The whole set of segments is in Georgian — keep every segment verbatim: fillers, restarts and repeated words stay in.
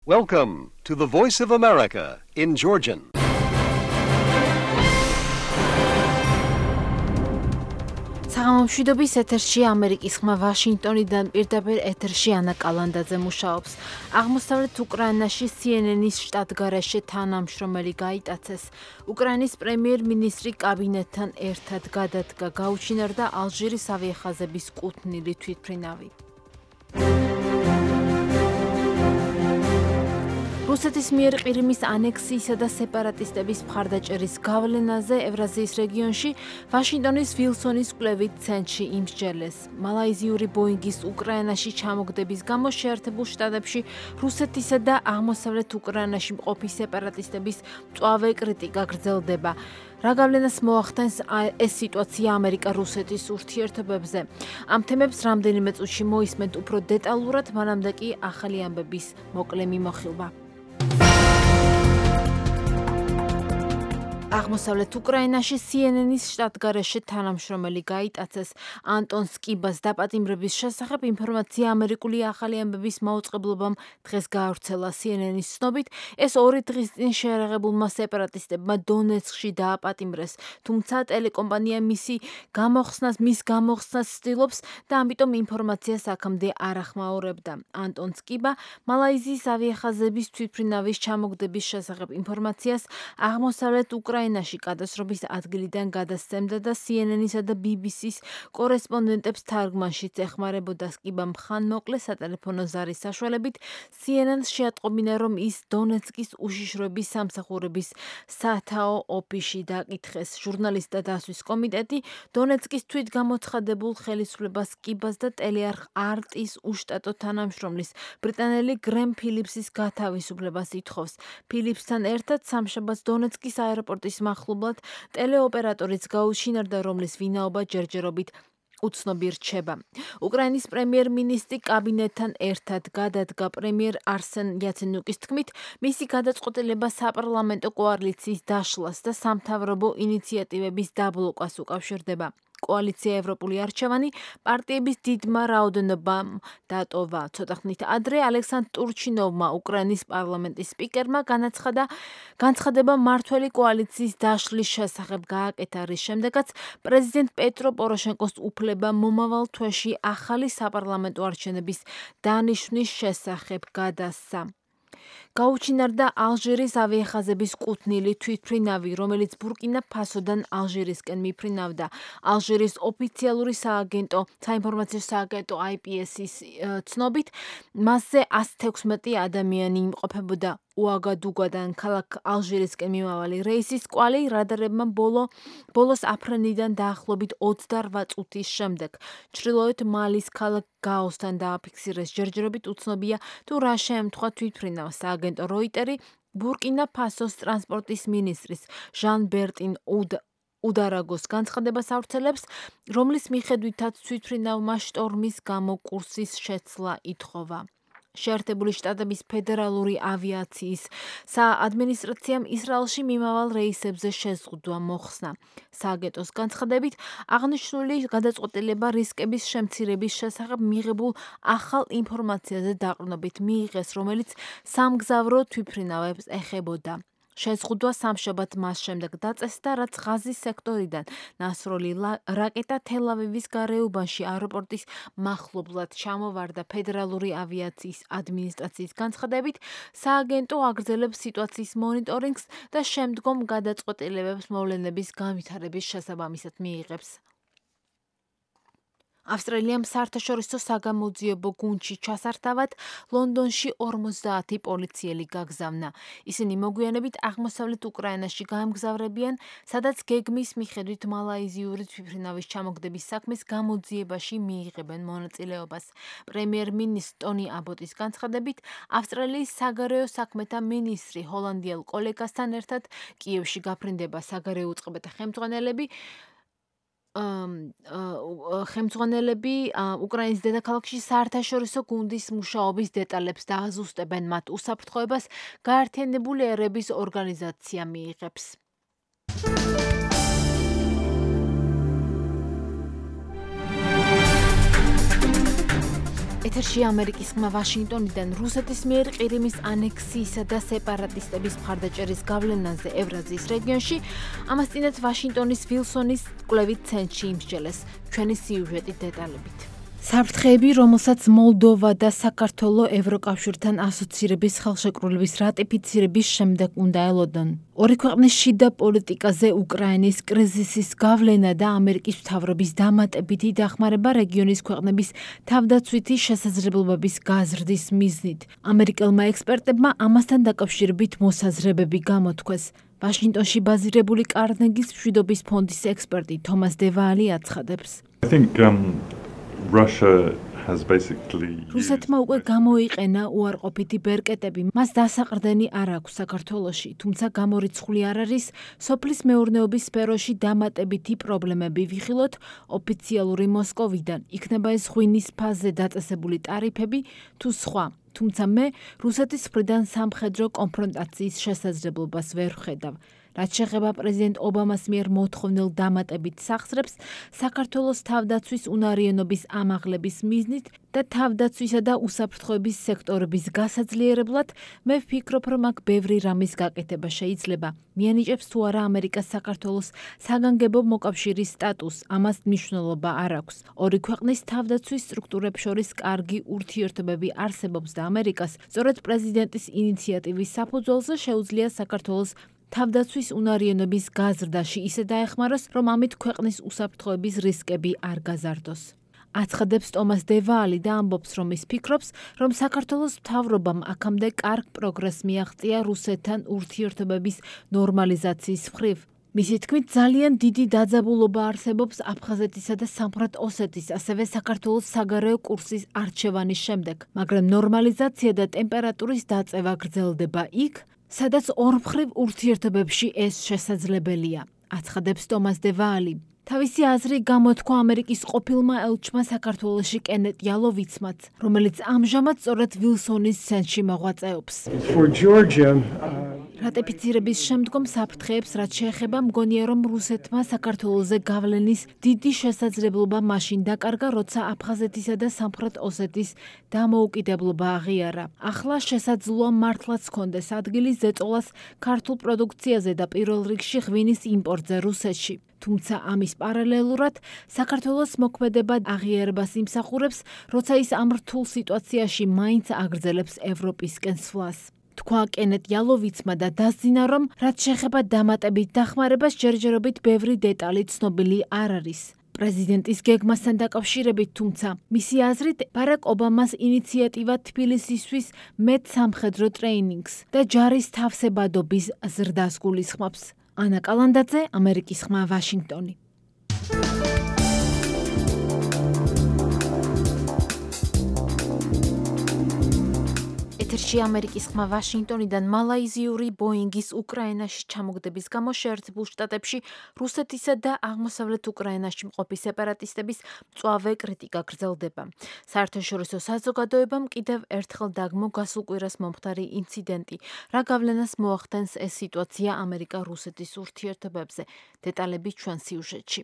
Welcome to the Voice of America in Georgian. საღამომშვიდობის ეთერში ამერიკის ხმა ვაშინგტონიდან პირდაპირ ეთერში ანა კალანდაძე მუშაობს. აღმოსავლეთ უკრაინაში C N N-ის შტატგარეშე თანამშრომელი გაიტაცეს. უკრაინის პრემიერ-მინისტრი კაბინეტთან ერთად გადადგა, გაუჩინარდა ალჟირის ავიახაზების კუთვნილი თვითმფრინავი. რუსეთის მიერ ყირიმის ანექსიისა და სეპარატისტების მხარდაჭერის გავლენაზე ევრაზიის რეგიონში ვაშინგტონის ვილსონის კვლევით ცენტრში იმსჯელეს. მალაიზიური ბოინგის უკრაინაში ჩამოგდების გამო შეერთებულ შტატებში რუსეთისა და აღმოსავლეთ უკრაინაში მყოფი სეპარატისტების მწვავე კრიტიკა გრძელდება. რა გავლენას მოახდენს ეს სიტუაცია ამერიკა-რუსეთის ურთიერთობებზე? ამ თემებს რამდენიმე წუთში მოისმენთ უფრო დეტალურად, მანამდე კი ახალი ამბების მოკლე მიმოხილვა. აღმოსავლეთ უკრაინაში C N N-ის შტატგარეშე თანამშრომელი გაიტაცეს. ანტონ სკიბას დაპატიმრების შესახებ ინფორმაცია ამერიკული ახალი ამბების მაუწყებლობამ დღეს გაავრცელა. C N N-ის ცნობით, ეს ორი დღის წინ შეერაღებულმა სეპარატისტებმა დონეცკში დააპატიმრეს, თუმცა ტელეკომპანია მისი გამოხსნას, მის გამოხსნას ცდილობს და ამიტომ ინფორმაციას აქამდე არ ახმაურებდა. ანტონ სკიბა მალაიზიის ავიახაზების თვითმფრინავის ჩამოგდების შესახებ ინფორმაციას აღმოსავლეთ უკრაინაში უკრაინაში გადასრობის ადგილიდან გადასცემდა და C N N-ისა და B B C-ის კორესპონდენტებს თარგმანშიც ეხმარებოდა. სკიბამ ხანმოკლე სატელეფონო ზარის საშუალებით C N N-ს შეატყობინა, რომ ის დონეცკის უშიშროების სამსახურების სათაო ოფისში დაკითხეს. ჟურნალისტთა დასვის კომიტეტი დონეცკის თვითგამოცხადებულ ხელისუფლებას სკიბას და ტელეარხ არტის უშტატო თანამშრომლის ბრიტანელი გრემ ფილიპსის გათავისუფლებას ითხოვს. ფილიპსთან ერთად სამშაბათს დონეცკის აეროპორტის მახლობლად ტელეოპერატორიც გაუჩინარდა, რომლის ვინაობა ჯერჯერობით უცნობი რჩება. უკრაინის პრემიერ-მინისტრი კაბინეტთან ერთად გადადგა. პრემიერ არსენ იაცენიუკის თქმით, მისი გადაწყვეტილება საპარლამენტო კოალიციის დაშლას და სამთავრობო ინიციატივების დაბლოკას უკავშირდება. კოალიცია ევროპული არჩევანი პარტიების დიდმა რაოდენობამ დატოვა. ცოტა ხნით ადრე ალექსანდრ ტურჩინოვმა, უკრაინის პარლამენტის სპიკერმა, განაცხადა განცხადება მმართველი კოალიციის დაშლის შესახებ გააკეთა, რის შემდეგაც პრეზიდენტ პეტრო პოროშენკოს უფლება მომავალ თვეში ახალი საპარლამენტო არჩევნების დანიშვნის შესახებ გადასცა. გაუჩინარდა ალჟირის ავიახაზების კუთვნილი თვითმფრინავი, რომელიც ბურკინა ფასოდან ალჟირისკენ მიფრინავდა. ალჟირის ოფიციალური სააგენტო, საინფორმაციო სააგენტო I P S-ის ცნობით, მასზე ასი თექვსმეტი ადამიანი იმყოფებოდა. უაგადუგადან ქალაქ ალჟირისკენ მიმავალი რეისის კვალი რადარებმა ბოლო ბოლოს აფრენიდან დაახლოებით ოცდარვა წუთის შემდეგ ჩრდილოეთ მალის ქალაქ გაოსთან დააფიქსირეს. ჯერჯერობით უცნობია თუ რა შეემთხვა თვითმფრინავს. სააგენტო როიტერი ბურკინა ფასოს ტრანსპორტის მინისტრის ჟან ბერტინ უდარაგოს განცხადებას ავრცელებს, რომლის მიხედვითაც თვითმფრინავმა შტორმის გამო კურსის შეცვლა ითხოვა. შეერთებული შტატების ფედერალური ავიაციის საადმინისტრაციამ ისრაელში მიმავალ რეისებზე შეზღუდვა მოხსნა. სააგენტოს განცხადებით, აღნიშნული გადაწყვეტილება რისკების შემცირების შესახებ მიღებულ ახალ ინფორმაციაზე დაყრდნობით მიიღეს, რომელიც სამგზავრო თვითმფრინავებს ეხებოდა. შეზღუდვა სამშაბათ მას შემდეგ დაწესდა, რაც ღაზის სექტორიდან ნასროლი რაკეტა თელ-ავივის გარეუბანში აეროპორტის მახლობლად ჩამოვარდა. ფედერალური ავიაციის ადმინისტრაციის განცხადებით, სააგენტო აგრძელებს სიტუაციის მონიტორინგს და შემდგომ გადაწყვეტილებებს მოვლენების განვითარების შესაბამისად მიიღებს. ავსტრალიამ საერთაშორისო საგამოძიებო გუნდში ჩასართავად ლონდონში ორმოცდაათი პოლიციელი გაგზავნა. ისინი მოგვიანებით აღმოსავლეთ უკრაინაში გაემგზავრებიან, სადაც გეგმის მიხედვით მალაიზიური თვითმფრინავის ჩამოგდების საქმის გამოძიებაში მიიღებენ მონაწილეობას. პრემიერ-მინისტრი ტონი აბოტის განცხადებით, ავსტრალიის საგარეო საქმეთა მინისტრი ჰოლანდიელ კოლეგასთან ერთად კიევში გაფრინდება. საგარეო უწყებათა ხელმძღვანელები ხელმძღვანელები უკრაინის დედაქალაქში საერთაშორისო გუნდის მუშაობის დეტალებს დააზუსტებენ. მათ უსაფრთხოებას გაერთიანებული ერების ორგანიზაცია მიიღებს. ეთერში ამერიკის ხმა ვაშინგტონიდან რუსეთის მიერ ყირიმის ანექსიისა და სეპარატისტების მხარდაჭერის გავლენაზე ევრაზიის რეგიონში, ამას წინათ ვაშინგტონის ვილსონის კვლევით ცენტრში იმსჯელეს. ჩვენი სიუჟეტი დეტალებით. საფრთხეები, რომელსაც მოლდოვა და საქართველო ევროკავშირთან ასოცირების ხელშეკრულების რატიფიცირების შემდეგ უნდა ელოდონ. ორი ქვეყნის შიდა პოლიტიკაზე უკრაინის კრიზისის გავლენა და ამერიკის მთავრობის დამატებითი დახმარება რეგიონის ქვეყნების თავდაცვითი შესაძლებლობების გაზრდის მიზნით. ამერიკელმა ექსპერტებმა ამასთან დაკავშირებით მოსაზრებები გამოთქვეს. ვაშინგტონში ბაზირებული კარნეგის მშვიდობის ფონდის ექსპერტი თომას დევალი აცხადებს. I think um Russia has basically რუსეთმა უკვე გამოიყენა უარყოფითი ბერკეტები, მას დასაყრდენი არ აქვს საქართველოში, თუმცა გამორიცხული არ არის სოფლის მეურნეობის სფეროში დამატებითი პრობლემები ვიხილოთ ოფიციალური მოსკოვიდან, იქნება ეს ღვინის ფაზზე დაწესებული ტარიფები თუ სხვა. თუმცა მე რუსეთის მხრიდან სამხედრო კონფრონტაციის შესაძლებლობას ვერ ვხედავ. რაც შეეხება პრეზიდენტ ობამას მიერ მოთხოვნილ დამატებით სახსრებს, საქართველოს თავდაცვის უნარიანობის ამაღლების მიზნით და თავდაცვისა და უსაფრთხოების სექტორების გასაძლიერებლად, მე ვფიქრობ, რომ აქ ბევრი რამის გაკეთება შეიძლება. მიანიჭებს თუ არა ამერიკას საქართველოს საგანგებო მოკავშირის სტატუსს, ამას მნიშვნელობა არ აქვს. ორი ქვეყნის თავდაცვის სტრუქტურებს შორის კარგი ურთიერთობები არსებობს და ამერიკას სწორედ პრეზიდენტის ინიციატივის საფუძველზე შეუძლია საქართველოს თავდაცვის უნარიანობის გაზრდაში ისე დაეხმაროს, რომ ამით ქვეყნის უსაფრთხოების რისკები არ გაზარდოს. აცხადებს ტომას დევალი და ამბობს, რომ ის ფიქრობს, რომ საქართველოს მთავრობამ აქამდე კარგ პროგრესს მიაღწია რუსეთთან ურთიერთობების ნორმალიზაციის მხრივ. მისი თქმით, ძალიან დიდი დაძაბულობა არსებობს აფხაზეთისა და სამხრეთ ოსეთის, ასევე საქართველოს საგარეო კურსის არჩევანის შემდეგ, მაგრამ ნორმალიზაცია და ტემპერატურის დაწევა გრძელდება იქ, სადაც ორმხრივ ურთიერთობებში ეს შესაძლებელია, აცხადებს ტომას დევალი. თავისი აზრი გამოთქვა ამერიკის ყოფილმა ელჩმა საქართველოში კენეტ იალოვიცმაც, რომელიც ამჟამად სწორედ ვილსონის ცენტრში მოღვაწეობს. For Georgia, რატიფიცირების შემდგომ საფრთხეებს, რაც შეეხება, მგონია, რომ რუსეთმა საქართველოზე გავლენის დიდი შესაძლებლობა მაშინ დაკარგა, როცა აფხაზეთისა და სამხრეთ ოსეთის დამოუკიდებლობა აღიარა. ახლა შესაძლოა მართლაც ჰქონდეს ადგილი ზეწოლას ქართულ პროდუქციაზე და პირველ რიგში ღვინის იმპორტზე რუსეთში. თუმცა ამის პარალელურად საქართველოს მოქმედება აღიარებას იმსახურებს, როცა ის ამ რთულ სიტუაციაში მაინც აგრძელებს ევროპისკენ სვლას. თქვა კენეტ იალოვიცმა და დასძინა, რომ რაც შეეხება დამატებით დახმარებას, ჯერჯერობით ბევრი დეტალი ცნობილი არ არის. პრეზიდენტის გეგმასთან დაკავშირებით, თუმცა, მისი აზრით, ბარაკ ობამას ინიციატივა თბილისისთვის მეტ სამხედრო ტრეინინგს და ჯარის თავსებადობის ზრდას გულისხმობს. ანა კალანდაძე, ამერიკის ხმა, ვაშინგტონი. ეთერში ამერიკის ხმა ვაშინგტონიდან მალაიზიური ბოინგის უკრაინაში ჩამოგდების გამო შეერთებულ შტატებში რუსეთისა და აღმოსავლეთ უკრაინაში მყოფი სეპარატისტების მწვავე კრიტიკა გრძელდება. საერთაშორისო საზოგადოებამ კიდევ ერთხელ დაგმო გასულ კვირას მომხდარი ინციდენტი, რა გავლენას მოახდენს ეს სიტუაცია ამერიკა-რუსეთის ურთიერთობებზე. დეტალები ჩვენ სიუჟეტში.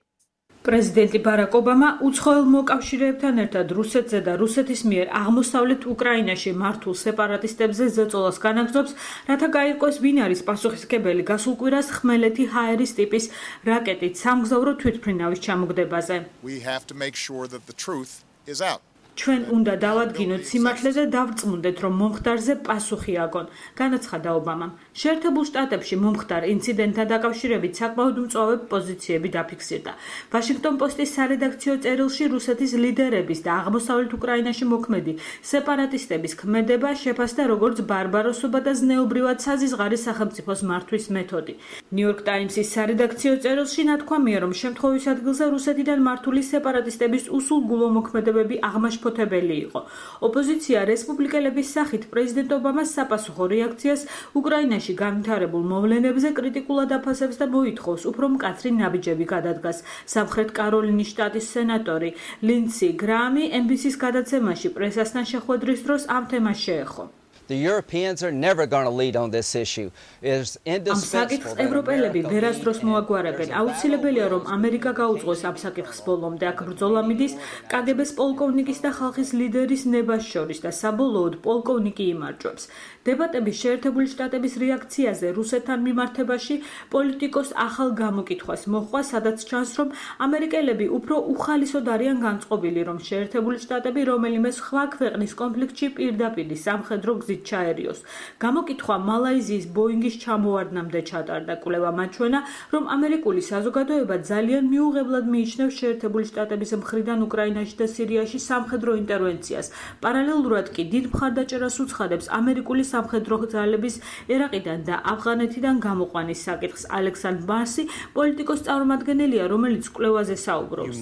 პრეზიდენტი ბარაკ ობამა უცხოელ მოკავშირეებთან ერთად რუსეთზე და რუსეთის მიერ აღმოსავლეთ უკრაინაში მართულ სეპარატისტებზე ზეწოლას განაგრძობს, რათა გაირკვეს ვინ არის პასუხისმგებელი გასულ კვირას ხმელეთი ჰაერის ტიპის რაკეტით სამგზავრო თვითმფრინავის ჩამოგდებაზე. ჩვენ უნდა დავადგინოთ სიმართლე და დავრწმუნდეთ, რომ მომხდარზე პასუხი აგონ, განაცხადა ობამამ. შეერთებულ შტატებში მომხდარ ინციდენტთან დაკავშირებით საკმაოდ მწვავე პოზიციები დაფიქსირდა. ვაშინგტონ პოსტის სარედაქციო წერილში რუსეთის ლიდერების და აღმოსავლეთ უკრაინაში მოქმედი სეპარატისტების ქმედება შეფასდა როგორც ბარბაროსობა და ზნეობრივად საზიზღარი სახელმწიფოს მართვის მეთოდი. ნიუ-იორკ ტაიმსის სარედაქციო წერილში ნათქვამია, რომ შემთხვევის ადგილზე რუსეთიდან მართული სეპარატისტების უსულგულო მოქმედებები აღმაშ ფოთებელი იყო. ოპოზიცია რესპუბლიკელების სახით პრეზიდენტ ობამას საპასუხო რეაქციას უკრაინაში განვითარებულ მოვლენებზე კრიტიკულად აფასებს და მოითხოვს უფრო მკაცრი ნაბიჯები გადადგას. სამხრეთ კაროლინის შტატის სენატორი ლინდსი გრაამი ენ ბი სის გადაცემაში პრესასთან შეხვედრის დროს ამ თემას შეეხო. The Europeans are never going to lead on this issue. It's indispensable. ევროპელები ვერასდროს მოაგვარებენ. აუცილებელია რომ ამერიკა გაუძღოს ამ საკითხს ბოლომდე. აქ ბრძოლა მიდის კაგებეს პოლკოვნიკის და ხალხის ლიდერის ნებას შორის და საბოლოოდ პოლკოვნიკი იმარჯვებს. დებატების შეერთებული შტატების რეაქციაზე რუსეთთან მიმართებაში პოლიტიკოს ახალ გამოკითხვას მოჰყვა, სადაც ჩანს, რომ ამერიკელები უფრო უხალისოდ არიან განწყობილი, რომ შეერთებული შტატები რომელიმე სხვა ქვეყნის კონფლიქტში პირდაპირ სამხედრო გზით ჩაერიოს. გამოკითხვა მალაიზიის ბოინგის ჩამოვარდნამდე ჩატარდა. კვლევა მაჩვენა, რომ ამერიკული საზოგადოება ძალიან მიუღებლად მიიჩნევს შეერთებული შტატების მხრიდან უკრაინაში და სირიაში სამხედრო ინტერვენციას. პარალელურად კი დიდ მხარდაჭერას უცხადებს ამერიკული სამხედრო ძალების ერაყიდან და ავღანეთიდან გამოყვანის საკითხს. ალექსანდრ ბარსი პოლიტიკოს წარმომადგენელია, რომელიც კვლევაზე საუბრობს.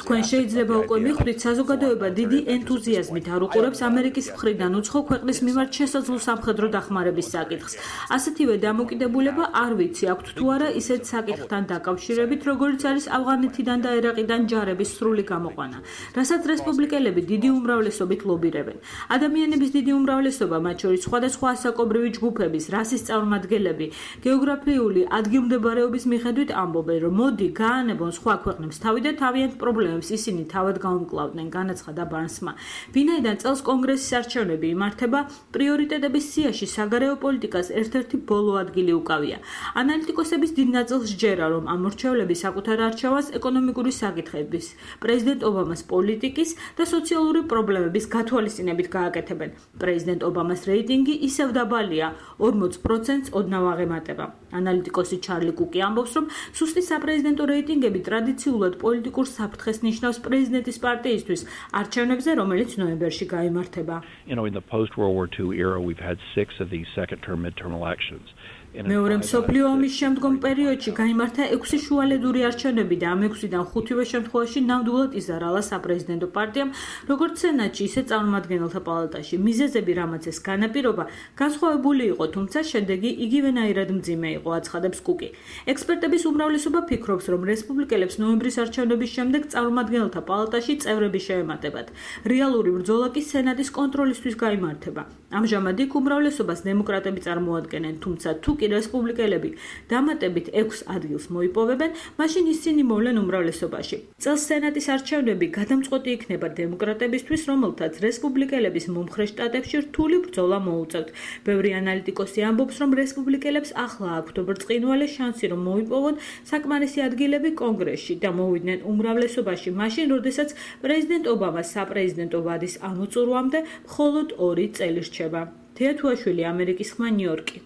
თქვენ შეიძლება უკვე მიხვდით, საზოგადოება დიდი ენთუზიაზმით არ უყურებს ამერიკის მხრიდან უცხო ქვეყნის მიმართ შესაძლო სამხედრო დახმარების საკითხს. ასეთივე დამოკიდებულება არ ვიცი აქვთ თუ არა ისეთ საკითხთან დაკავშირებით, როგორც არის ავღანეთიდან და ერაყიდან ჯარების სრული გამოყვანა, რასაც რესპუბლიკელები დიდი უმრავლესობით ლობირებენ. ადამიანების დიდი უმრავლესობა, მათ შორის სხვადასხვა ასაკობრივი ჯგუფების, რასის წარმომადგენლები, გეოგრაფიული ადგილმდებარეობის მიხედვით ამბობენ, რომ მოდი გაანებონ სხვა ქვეყნებს თავი და თავიანთ პრობლემებს ისინი თავად გაუმკლავდნენ, განაცხადა ბარნსმა. ვინაიდან წელს კონგრესის არჩევნები იმართება, პრიორიტეტების სიაში საგარეო პოლიტიკას ერთ-ერთი ბოლო ადგილი უკავია. ანალიტიკოსების დიდ ნაწილს სჯერა, რომ ამ მრჩევლები საკუთარ არჩევანს ეკონომიკური საკითხების, პრეზიდენტ ობამას პოლიტიკის და სოციალური პრობლემების გათვალისწინებით გააკეთებენ. პრეზიდენტ ობამას რეიტინგი ისევ დაბალია, ორმოც პროცენტს ოდნავ აღემატება. ანალიტიკოსი ჩარლი კუკი ამბობს, რომ სუსტი საპრეზიდენტო რეიტინგები ტრადიციულად პოლიტიკურ საფრთხეს ნიშნავს პრეზიდენტის პარტიისთვის არჩევნებზე, რომელიც ნოემბერში გაიმართება. You know, in the post-World War Two era, we've had six of these second-term midterm elections. მეორე მსოფლიო ომის შემდგომ პერიოდში გაიმართა ექვსი შუალედური არჩევნები და ამ ექვსიდან ხუთივე შემთხვევაში ნამდვილად იზარალა საპრეზიდენტო პარტიამ, როგორც სენატში, ისე წარმომადგენელთა პალატაში. მიზეზები, რამაც ეს განაპირობა, განსხვავებული იყო, თუმცა შედეგი იგივენაირად მძიმე იყო, აცხადებს კუკი. ექსპერტების უმრავლესობა ფიქრობს, რომ რესპუბლიკელებს ნოემბრის არჩევნების შემდეგ წარმომადგენელთა პალატაში წევრები შეემატებათ. რეალური ბრძოლა კი სენატის კონტროლისთვის გაიმართება. ამჟამად იქ უმრავლესობას დემოკრატები წარმოადგენენ, თუმცა თუ კი რესპუბლიკელები დამატებით ექვს ადგილს მოიპოვებენ, მაშინ ისინი მოვლენ უმრავლესობაში. წელს სენატის არჩევნები გადამწყვეტი იქნება დემოკრატებისთვის, რომელთაც რესპუბლიკელების მომხრე შტატებში რთული ბრძოლა მოუწევთ. ბევრი ანალიტიკოსი ამბობს, რომ რესპუბლიკელებს ახლა აქვთ ბრწყინვალე შანსი, რომ მოიპოვონ საკმარისი ადგილები კონგრესში და მოვიდნენ უმრავლესობაში, მაშინ, როდესაც პრეზიდენტ ობამას საპრეზიდენტო ვადის ამოწურვამდე მხოლოდ ორი წელი რჩება. თეა თუაშვილი, ამერიკის ხმა, ნიუ-იორკი.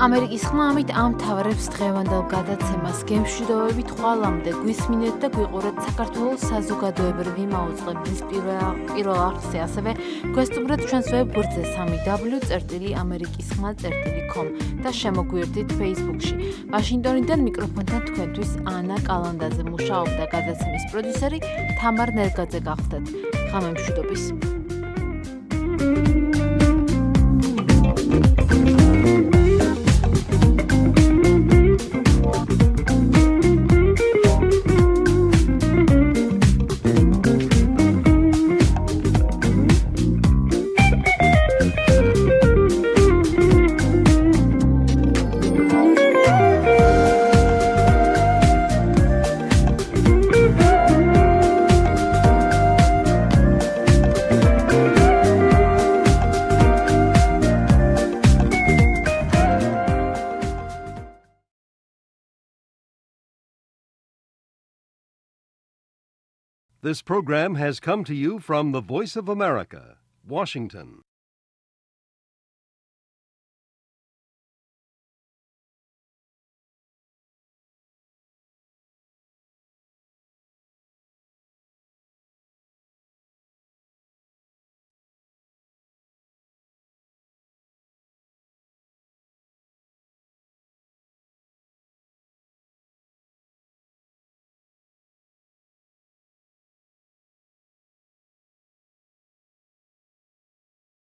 ამერიკის ხმა ამით ამთავრებს დღევანდელ გადაცემას. გემშვიდობებით ხვალამდე გვისმინეთ და გვიყურეთ საქართველოს საზოგადოებრივი მაუწყებლის პირველ არხზე, ასევე გვესტუმრეთ ჩვენს ვებგვერდზე სამი დაბლიუ წერტილი ამერიკის ხმა წერტილი com და შემოგვიერთდით Facebook-ში. ვაშინგტონიდან მიკროფონთან თქვენთვის ანა კალანდაძე მუშაობდა, გადაცემის პროდიუსერი თამარ ნერგაძე გახლდათ. ღამემშვიდობის. This program has come to you from the Voice of America, Washington.